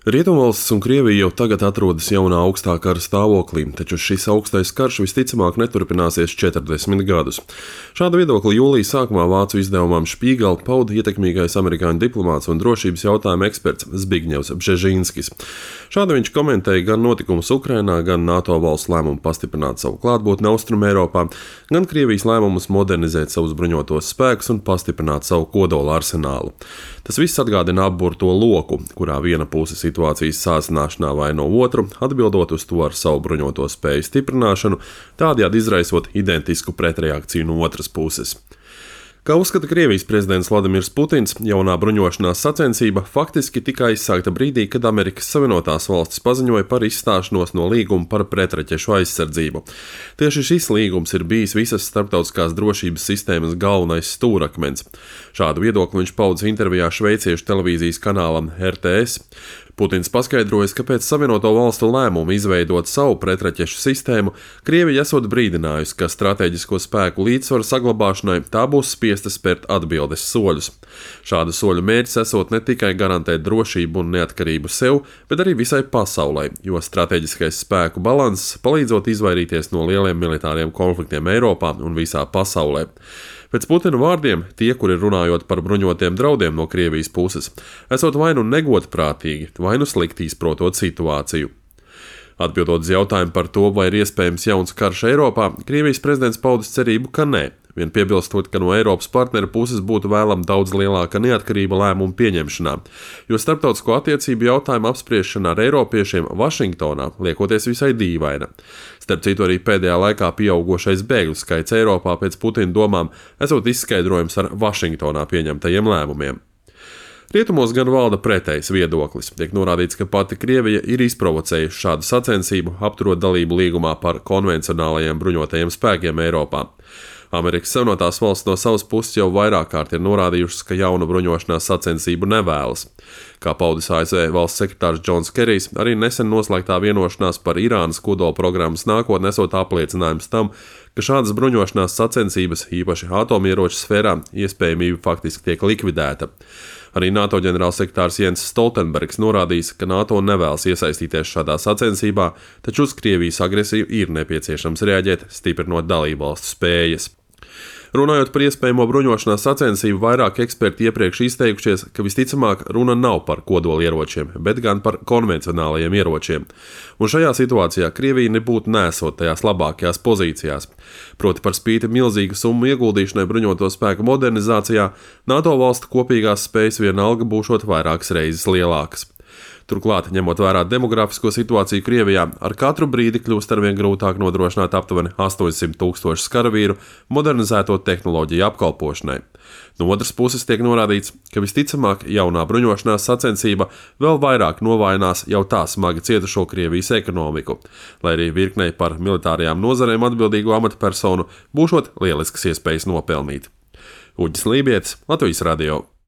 Rietumvalstis un Krievija jau tagad atrodas jaunā augstā kara stāvoklī, taču šis augstais karš visticamāk neturpināsies 40 gadus. Šādu viedokli jūlija sākumā vācu izdevumam Špīgel pauda ietekmīgais amerikāņu diplomāts un drošības jautājumu eksperts Zbigņevs Bžežinskis. Šādi viņš komentēja gan notikumus Ukrainā, gan NATO valstu lēmumu pastiprināt savu klātbūtni Austrumeiropā, gan Krievijas lēmumus modernizēt savus bruņotos spēkus un pastiprināt savu kodola arsenālu. Tas viss atgādina apburto loku, kurā viena puse situācijas sāsināšanā vaino otru, atbildot uz to ar savu bruņoto spēju stiprināšanu, tādējādi izraisot identisku pretreakciju no otras puses. Kā uzskata Krievijas prezidents Vladimirs Putins, jaunā bruņošanās sacensība faktiski tika aizsākta brīdī, kad Amerikas Savienotās valstis paziņoja par izstāšanos no līguma par pretraķešu aizsardzību. Tieši šis līgums ir bijis visas starptautiskās drošības sistēmas galvenais stūrakmens. Šādu viedokli viņš pauda intervijā šveiciešu televīzijas kanālam RTS. Putins paskaidroja, ka pēc Savienoto valstu lēmuma izveidot savu pretraķešu sistēmu, Krievija esot brīdinājusi, ka strateģisko spēku līdzsvaru saglabāšanai tā būs spiesta spērt atbildes soļus. Šādu soļu mērķis esot ne tikai garantēt drošību un neatkarību sev, bet arī visai pasaulē, jo strateģiskais spēku balanss palīdzot izvairīties no lieliem militāriem konfliktiem Eiropā un visā pasaulē. Pēc Putina vārdiem, tie, kuri runājot par bruņotiem draudiem no Krievijas puses, esot vai nu negodprātīgi, vai nu slikti izprotot situāciju. Atbildot uz jautājumu par to, vai ir iespējams jauns karš Eiropā, Krievijas prezidents paudis cerību, ka nē, vien piebilstot, ka no Eiropas partneru puses būtu vēlama daudz lielāka neatkarība lēmumu pieņemšanā, jo starptautisko attiecību jautājumu apspriešana ar eiropiešiem Vašingtonā liekoties visai dīvaina. Starp citu, arī pēdējā laikā pieaugošais bēgļu skaits Eiropā pēc Putina domām esot izskaidrojums ar Vašingtonā pieņemtajiem lēmumiem. Rietumos gan valda pretējs viedoklis. Tiek norādīts, ka pati Krievija ir izprovocējusi šādu sacensību, apturot dalību līgumā par konvencionālajiem bruņotajiem spēkiem Eiropā. Amerikas Savienotās valstis no savas puses jau vairāk kārt ir norādījušas, ka jaunu bruņošanās sacensību nevēlas. Kā paudis ASV valsts sekretārs Džons Kerijs, arī nesen noslēgtā vienošanās par Irānas kodola programmas nākotni esot apliecinājums tam, ka šādas bruņošanās sacensības, īpaši atomieroču sfērā, iespējamība faktiski tiek likvidēta. Arī NATO ģenerālsekretārs Jens Stoltenbergs norādījis, ka NATO nevēlas iesaistīties šādā sacensībā, taču uz Krievijas agresiju ir nepieciešams reaģēt, stiprinot dalībvalstu spējas. Runājot par iespējamo bruņošanās sacensību, vairāk eksperti iepriekš izteikušies, ka visticamāk runa nav par kodolieročiem, bet gan par konvencionālajiem ieročiem. Un šajā situācijā Krievija nebūtu nesot tajās labākajās pozīcijās. Proti par spīti milzīgu summu ieguldīšanai bruņoto spēku modernizācijā, NATO valstu kopīgās spējas vienalga būšot vairākas reizes lielākas. Turklāt, ņemot vērā demografisko situāciju Krievijā, ar katru brīdi kļūst arvien grūtāk nodrošināt aptuveni 800,000 karavīru modernizēto tehnoloģiju apkalpošanai. No otras puses tiek norādīts, ka visticamāk jaunā bruņošanās sacensība vēl vairāk novājinās jau tā smagi cietušo Krievijas ekonomiku, lai arī virknei par militārajām nozarēm atbildīgo amatpersonu būšot lieliskas iespējas nopelnīt. Uģis Lībietis, Latvijas radio.